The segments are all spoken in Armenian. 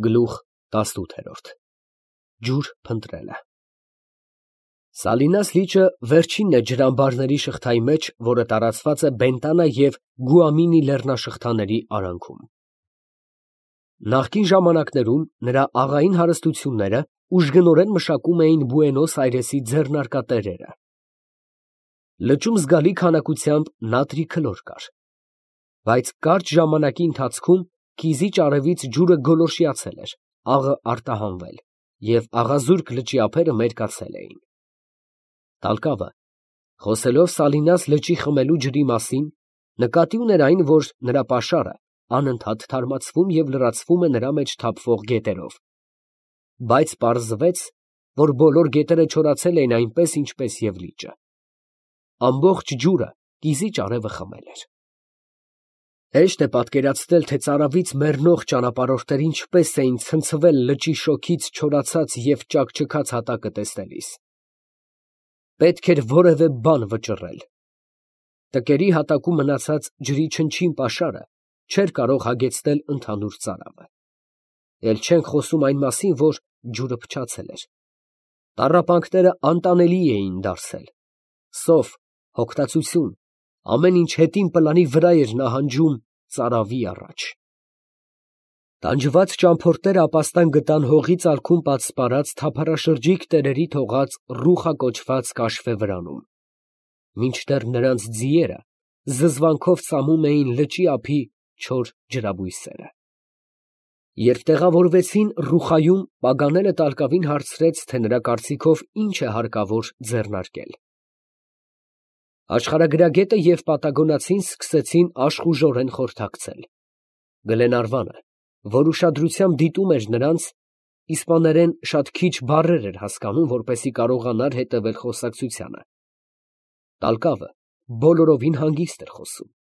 Գլուխ 18 Ջուր փնտրելը Սալինաս լիճը վերջինն է ջրամբարների շղթայի մեջ, որը տարածված է Բենտանա և Գուամինի լեռնաշղթաների արանքում։ Նախկին ժամանակներում նրա աղային հարստությունները ուժգնորեն մշակում էին Բուենոս Այրեսի ձեռնարկատերերը։ Լճում զգալի քանակությամբ նատրի քլոր կար, բայց կարճ ժամանակի ընթացքում կիզիչ արևից ջուրը գոլորշիացել էր, աղը արտահանվել, և աղազուրկ լճի ափերը մերկացել էին։ Տալկավը, խոսելով Սալինաս լճի խմելու ջրի մասին, նկատի ուներ այն, որ նրա պաշարը անընդհատ թարմացվում և լրացվում է նրա մեջ թափվող գետերով, բայց պարզվեց, որ բոլոր գետերը չորացել էին այնպես, ինչպես և լիճը։ Ամբողջ ջուրը կիզիչ արևը խմել էր։ Հեշտ է պատկերացնել, թե ծարավից մեռնող ճանապարհորդները ինչպես էին ցնցվել լճի շոգից չորացած և ճաքճքած հատակը տեսնելիս։ Պետք էր որևէ բան վճռել։ Տկերի հատակում մնացած ջրի չնչին պաշարը չէր կարող հագեցնել ընդհանուր ծարավը։ Էլ չենք խոսում այն մասին, որ ջուրը փչացել էր։ Տառապանքները անտանելի էին դարձել։ Սով, հոգտացություն, ամեն ինչ հետին պլանի վրա էր նահանջում ծարավի առաջ։ Տանջված ճամփորդները ապաստան գտան հողի ծալքում պատսպարած թափառաշրջիկ տերերի թողած Ռուխա կոչված կաշվե վրանում, մինչդեռ նրանց ձիերը զզվանքով ծամում էին լճի ափի չոր ջրաբույսերը։ Երբ տեղավորվեցին Ռուխայում, Պագանելը Տալկավին հարցրեց, թե նրա կարծիքով ինչ է հարկավոր ձեռնարկել։ Աշխարհագրագետը և պատագոնացին սկսեցին աշխուժորեն խորհրդակցել։ Գլենարվանը, որ ուշադրությամբ դիտում էր նրանց, իսպաներեն շատ քիչ բառեր էր հասկանում, որպեսզի կարողանար հետևել խոսակցությանը։ Տալկավը բոլորովին հանգիստ էր խոսում,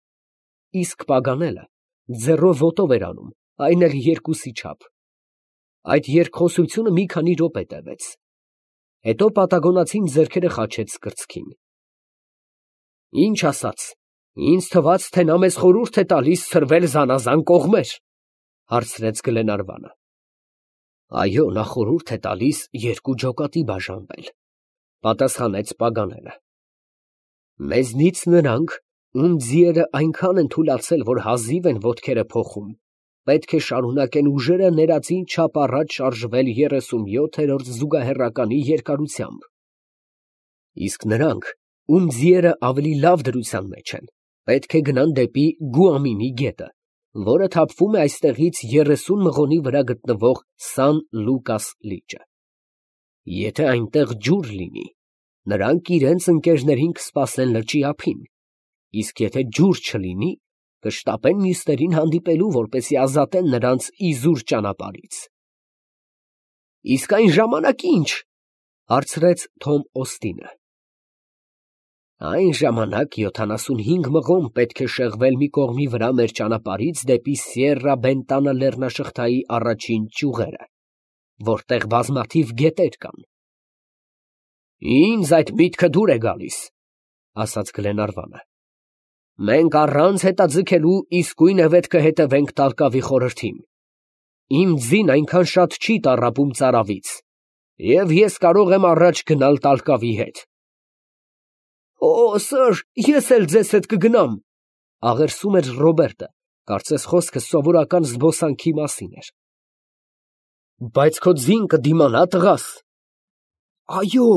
իսկ Պագանելը ձեռով ոտով էր անում, այն էլ երկուսի չափ։ Այդ երկխոսությունը մի քանի րոպե տևեց։ Հետո պատագոնացին ձեռքերը խաչեց կրծքին։ Ինչ ասաց, ինձ թվաց, թե նա մեզ խորհուրդ է տալիս ցրվել զանազան կողմեր, հարցրեց Գլենարվանը։ Այո, նա խորհուրդ է տալիս երկու ջոկատի բաժանվել, պատասխանեց Պագանելը։ Մեզնից նրանք, ում ձիերը այնքան են թուլացել, որ հազիվ են ոտքերը փոխում, պետք է շարունակեն ուժերը ներածին չափ առաջ շարժվել 37-րդ զուգահեռականի երկարությամբ։ Իսկ նրանք, ում ձիերը ավելի լավ դրության մեջ են, պետք է գնան դեպի Գուամինի գետը, որը թափվում է այստեղից 30 մղոնի վրա գտնվող Սան Լուկաս լիճը։ Եթե այնտեղ ջուր լինի, նրանք իրենց ընկերներին կսպասեն լճի ափին, իսկ եթե ջուր չլինի, կշտապեն մյուսներին հանդիպելու, որպեսզի ազատեն նրանց իզուր ճանապարհից։ Իսկ այն ժամանակ ի՞նչ, հարցրեց Թոմ Օստինը։ Այն ժամանակ 75 մղոն պետք է շեղվել մի կողմի վրա մեր ճանապարհից դեպի Սիեռա Բենտանա լեռնաշղթայի առաջին ճյուղերը, որտեղ բազմաթիվ գետեր կան։ Ինձ այդ միտքը դուր է գալիս, ասաց Գլենարվանը։ Մենք առանց հետաձգելու իսկույն է պետք է հետևենք Տալկավի խորհրդին։ Իմ ձին այնքան շատ չի տառապում ծարավից, և ես կարող եմ առաջ գնալ Տալկավի հետ։ Օ, սըր, ես էլ ձեզ հետ կգնամ, աղերսում էր Ռոբերտը, կարծես խոսքը սովորական զբոսանքի մասին էր։ Բայց քո ձին կդիմանա տղաս։ Այո,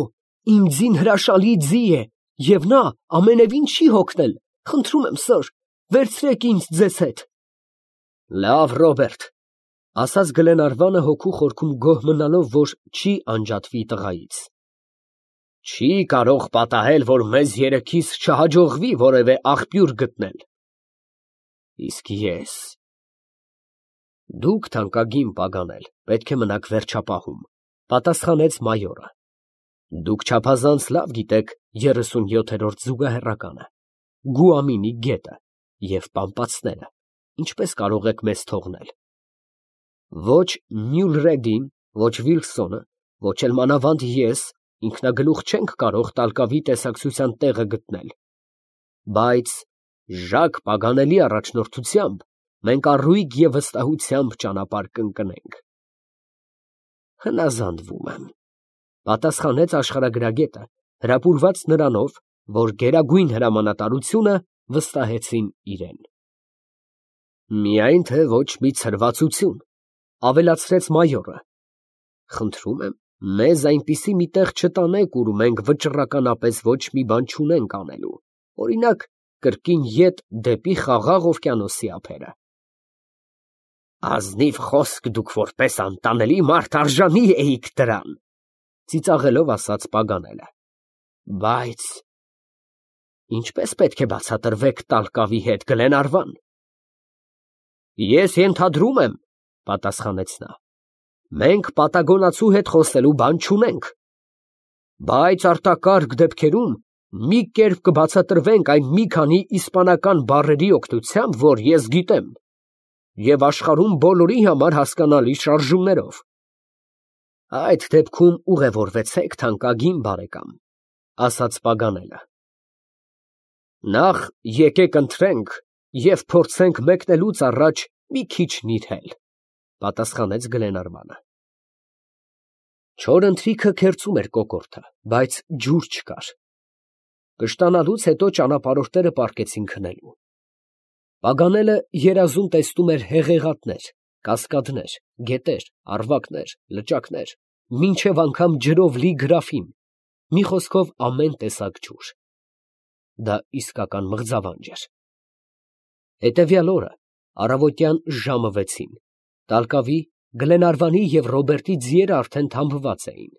իմ ձին հրաշալի ձի է, և նա ամենևին չի հոգնել, խնդրում եմ, սըր, վերցրեք ինձ ձեզ հետ։ Լավ, Ռոբերտ, ասաց Գլենարվանը հոգու խորքում գոհ մնալով, որ չի անջատվի տղայից։ Չի կարող պատահել, որ մեզ երեքիս չհաջողվի որևէ աղբյուր գտնել։ Իսկ ես… Դուք, թանկագին Պագանել, պետք է մնաք վերջապահում, պատասխանեց մայորը։ Դուք չափազանց լավ գիտեք 37-րդ զուգահեռականը, Գուամինի գետը և պամպացները, ինչպես կարող եք մեզ թողնել։ Ոչ Մյուլրեդին, ոչ Վիլսոնը, ոչ էլ մանավանդ ես ինքնագլուխ չենք կարող Տալկավի տեսակցության տեղը գտնել, բայց Ժակ Պագանելի առաջնորդությամբ մենք առույգ և վստահությամբ ճանապարհ կընկնենք։ Հնազանդվում եմ, պատասխանեց աշխարհագրագետը, հրապուրված նրանով, որ գերագույն հրամանատարությունը վստահեցին իրեն։ Միայն թե ոչ մի ցրվածություն, ավելացրեց մայորը։ Խնդրում եմ, մեզ այնպիսի մի տեղ չտանեք, ուր մենք վճռականապես ոչ մի բան չունենք անելու, օրինակ, կրկին ետ դեպի Խաղաղ օվկիանոսի ափերը։ Ազնիվ խոսք դուք որպես անտանելի մարդ արժանի էիք դրան, ծիծաղելով ասաց Պագանելը։ Բայց ինչպես պետք է բացատրվեք Տալկավի հետ, Գլենարվան։ Ես ենթադրում եմ, պատասխանեց նա, մենք պատագոնացու հետ խոսելու բան չունենք, բայց արտակարգ դեպքերում մի կերպ կբացատրվենք այն մի քանի իսպանական բառերի օգնությամբ, որ ես գիտեմ, և աշխարհում բոլորի համար հասկանալի շարժումներով։ Այդ դեպքում ուղևորվեցեք, թանկագին բարեկամ, ասաց Պագանելը։ Նախ եկեք ընթրենք և փորձենք մեկնելուց առաջ մի քիչ նիրհել, պատասխանեց Գլենարվանը։ Չոր ընթրիքը քերծում էր կոկորդը, բայց ջուր չկար։ Կշտանալուց հետո ճանապարհորդները պառկեցին քնելու։ Պագանելը երազում տեսնում էր հեղեղատներ, կասկադներ, գետեր, առվակներ, լճակներ, մինչև անգամ ջրով լի գրաֆին, մի խոսքով ամեն տեսակ ջուր։ Դա իսկական մղձավանջ էր։ Հետևյալ օրը առավոտյան ժամը 6-ին Տալկավի, Գլենարվանի և Ռոբերտի ձիերը արդեն թամբված էին։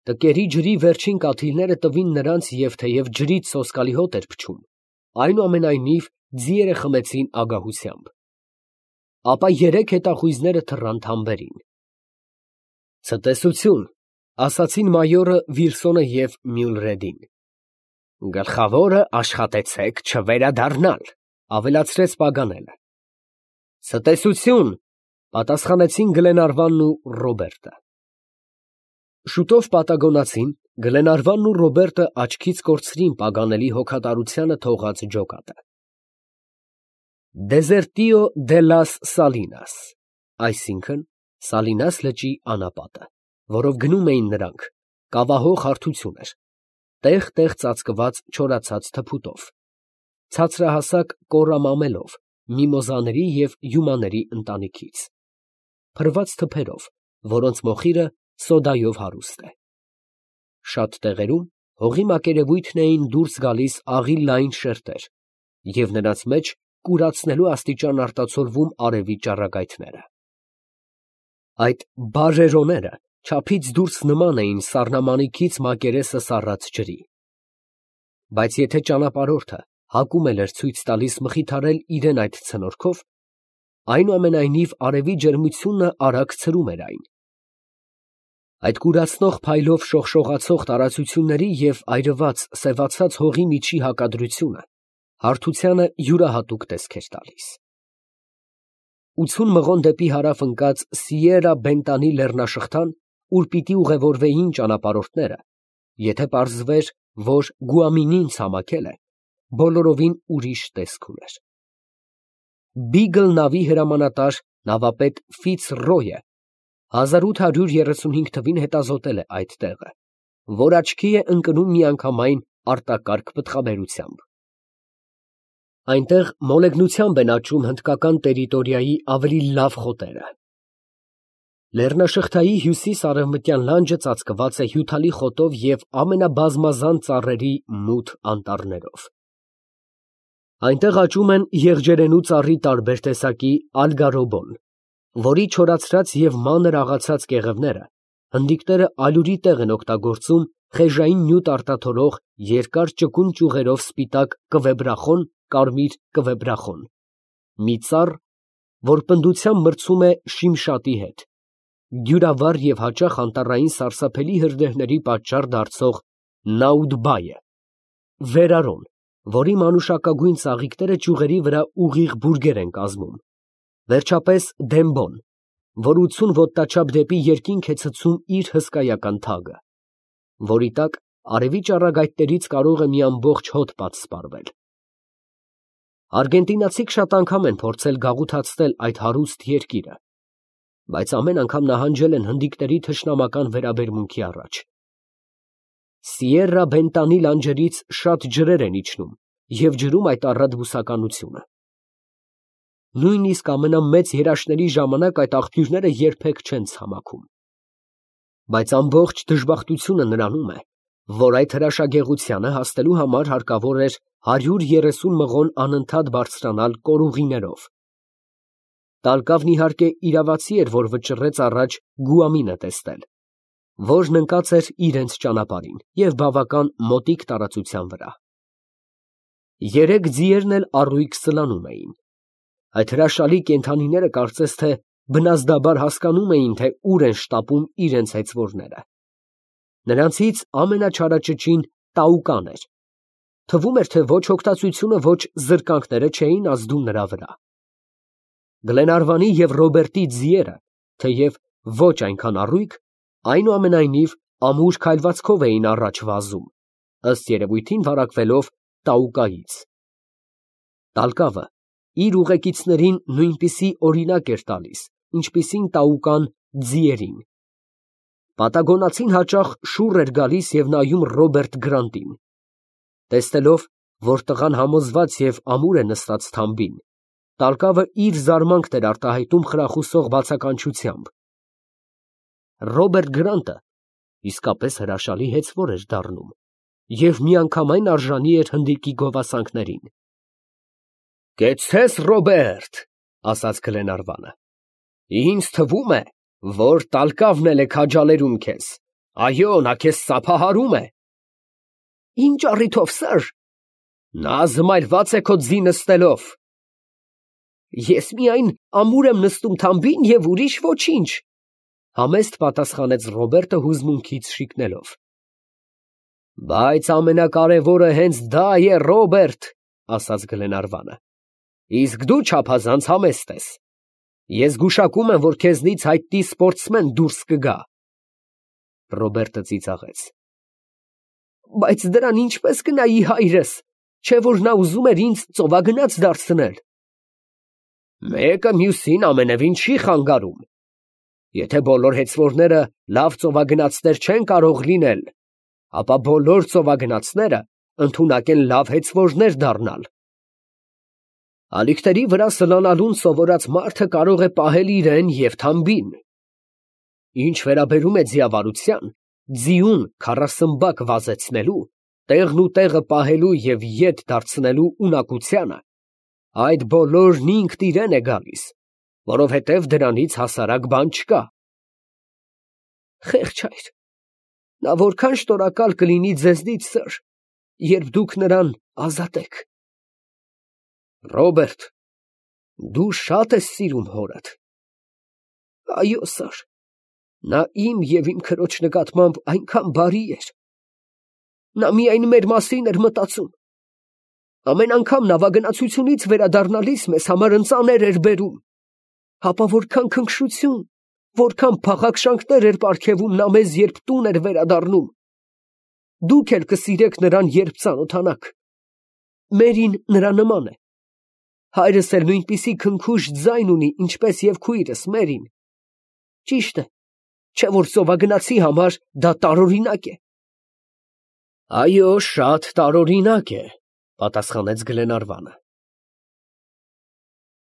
Տկերի ջրի վերջին կաթիլները տվին նրանց և թեև ջրից սոսկալի հոտ էր փչում, այնուամենայնիվ ձիերը խմեցին ագահությամբ։ Ապա երեք հետախույզները թռան թամբերին։ Ցտեսություն, ասացին մայորը Վիլսոնը և Մյուլրեդին։ Գլխավորը աշխատեցեք չվերադառնալ, ավելացրեց Պագանելը։ Ցտեսություն, պատասխանեցին Գլենարվանն ու Ռոբերտը։ Շուտով պատագոնացին, Գլենարվանն ու Ռոբերտը աչքից կորցրին Պագանելի հոգատարությանը թողած ջոկատը։ Դեզերտիո դե լաս Սալինաս, այսինքն Սալինաս լճի անապատը, որով գնում էին նրանք, կավահող հարթություն էր, տեղ֊տեղ ծածկված չորացած թփուտով, ցածրահասակ կորամամելով, միմոզաների և հյումաների ընտանիքից, փռված թփերով, որոնց մոխիրը սոդայով հարուստ է։ Շատ տեղերում հողի մակերևույթն էին դուրս գալիս աղի լայն շերտեր, և նրանց մեջ կուրացնելու աստիճան արտացոլվում արևի ճառագայթները։ Այդ բարերոները չափից դուրս նման էին սառնամանիքից մակերեսը սառած ջրի։ Բայց եթե ճանապարհորդը հակում էր ցույց տալիս մխիթարել իրեն այդ ցնորքով, այնուամենայնիվ արևի ջերմությունը արագ ցրում էր այն։ Այդ կուրացնող փայլով շողշողացող տարածությունների և այրված, սևացած հողի միջի հակադրությունը հարթությանը յուրահատուկ տեսք էր տալիս։ 80 մղոն դեպի հարավ ընկած Սիերա Բենտանի լեռնաշղթան, ուր պիտի ուղևորվեին ճանապարհորդները, եթե պարզվեր, որ Գուամինին ցամաքել է, բոլորովին ուրիշ տեսք ուներ։ Բիգլ նավի հրամանատար նավապետ Ֆիցրոյը 1835 թվին հետազոտել է այդ տեղը, որ աչքի է ընկնում միանգամայն արտակարգ պտղաբերությամբ։ Այնտեղ մոլեգնությամբ են աճում հնդկական տերիտորիայի ավելի լավ խոտերը։ Լեռնաշղթայի հյուսիս֊արևմտյան լանջը ծածկված է հյութալի խոտով և ամենաբազմազան ծառերի մութ անտառներով։ Այնտեղ աճում են եղջերենու ծառի տարբեր տեսակի ալգարոբոն, որի չորացրած և մանր աղացած կեղևները հնդիկները ալյուրի տեղ են օգտագործում խեժային նյութ արտաթորող երկար ճկուն ճյուղերով սպիտակ կվեբրախոն, կարմիր կվեբրախոն, մի ծառ, որ պնդությամբ մրցում է շիմշատի հետ, դյուրավառ և հաճախ անտառային սարսափելի հրդեհների պատճառ դարձող նաուդբայը, վերարոն, որի մանուշակագույն ծաղիկները ճյուղերի վրա ուղիղ բուրգեր են կազմում, վերջապես դեմբոն, որ 80 ոտնաչափ դեպի երկինք է ցցում իր հսկայական թագը, որի տակ արևի ճառագայթներից կարող է մի ամբողջ հոտ պատսպարվել։ Արգենտինացիք շատ անգամ են փորձել գաղութացնել այդ հարուստ երկիրը, բայց ամեն անգամ նահանջել են հնդիկների թշնամական վերաբերմունքի առաջ։ Սիերրա Բենտանի լանջերից շատ ջրեր են իջնում և ջրում այդ առատ բուսականությունը։ Նույնիսկ ամենամեծ երաշտների ժամանակ այդ աղբյուրները երբեք չեն ցամաքում։ Բայց ամբողջ դժբախտությունը նրանում է, որ այդ հրաշագեղությանը հասնելու համար հարկավոր էր 130 մղոն անընդհատ բարձրանալ կորուղիներով։ Տալկավն իհարկե իրավացի էր, որ վճռեց առաջ Գուամինը տեսնել, որն ընկած էր իրենց ճանապարհին և բավական մոտիկ տարածության վրա։ Երեք ձիերն էլ առույգ սլանում էին։ Այդ հրաշալի կենդանիները կարծես թե բնազդաբար հասկանում էին, թե ուր են շտապում իրենց հեծվորները։ Նրանցից ամենաչարաճճին Տաուկան էր։ Թվում էր, թե ոչ հոգտացությունը, ոչ զրկանքները չէին ազդում նրա վրա։ Գլենարվանի և Ռոբերտի ձիերը, թեև ոչ այնքան առույգ, այնուամենայնիվ ամուր քայլվածքով էին առաջ վազում, ըստ երևույթին վարակվելով Տաուկայից։ Տալկավը իր ուղեկիցներին նույնպիսի օրինակ էր տալիս, ինչպիսին Տաուկան ձիերին։ Պատագոնացին հաճախ շուռ էր գալիս և նայում Ռոբերտ Գրանտին։ Տեսնելով, որ տղան համոզված և ամուր է նստած թամբին, Տալկավը իր զարմանքն էր արտահայտում խրախուսող բացականչությամբ։ Ռոբերտ Գրանտը իսկապես հրաշալի հեծվոր էր դառնում և միանգամայն արժանի էր հնդիկի գովասանքներին։ «Կեցցես, Ռոբերտ, ֊ ասաց Գլենարվանը, ֊ ինձ թվում է, որ Տալկավն էլ է քաջալերում քեզ, այո, նա քեզ ծափահարում է։ ֊ Ինչ առիթով, սըր։ ֊ Նա զմայրված է քո ձի նստելով։ ֊ Ես միայն ամուր եմ նստում թամբին և ուրիշ ոչինչ, ֊ համեստ պատասխանեց Ռոբերտը հուզմունքից շիկնելով։ ֊ Բայց ամենակարևորը հենց դա է, Ռոբերտ, ֊ ասաց Գլենարվանը, ֊ իսկ դու չափազանց համեստ ես։ Ես գուշակում եմ, որ քեզնից հայտնի սպորտսմեն դուրս կգա։ Ռոբերտը ծիծաղեց։ ֊ Բայց դրան ինչպես կնայի հայրս, չէ՞ որ նա ուզում էր ինձ ծովագնաց դարձնել։ ֊ Մեկը մյուսին ամենևին չի խանգարում։ Եթե բոլոր հեծվորները լավ ծովագնացներ չեն կարող լինել, ապա բոլոր ծովագնացները ընդունակ են լավ հեծվորներ դառնալ։ Ալիքների վրա սլանալուն սովորած մարդը կարող է պահել իրեն և թամբին։ Ինչ վերաբերում է ձիավարության, ձիուն քառասմբակ վազեցնելու, տեղն ու տեղը պահելու և ետ դարձնելու ունակությանը, այդ բոլորն ինքն իրեն է գալիս, որովհետև դրանից հասարակ բան չկա։ Խեղճ հայր, նա որքան շնորհակալ կլինի ձեզնից, սըր, երբ դուք նրան ազատեք։ Ռոբերտ, դու շատ ես սիրում հորդ։ Այո, սըր, նա իմ և իմ քրոջ նկատմամբ այնքան բարի էր։ Նա միայն մեր մասին էր մտածում։ Ամեն անգամ նավագնացությունից վերադառնալիս մեզ համար ընծաներ էր բերում։ Հապա որքան քնքշություն, որքան փախաքշանքներ էր պարգևում նա մեզ, երբ տուն էր վերադառնում։ Դուք էլ կսիրեք նրան, երբ ծանոթանաք։ Մերին նրա նման է։ Հայրս էլ նույնպիսի քնքուշ ձայն ունի, ինչպես և քույրս Մերին։ Ճիշտ է, չէ՞ որ ծովագնացի համար դա տարօրինակ է։ Այո, շատ տարօրինակ է, ֊ պատասխանեց Գլենարվանը։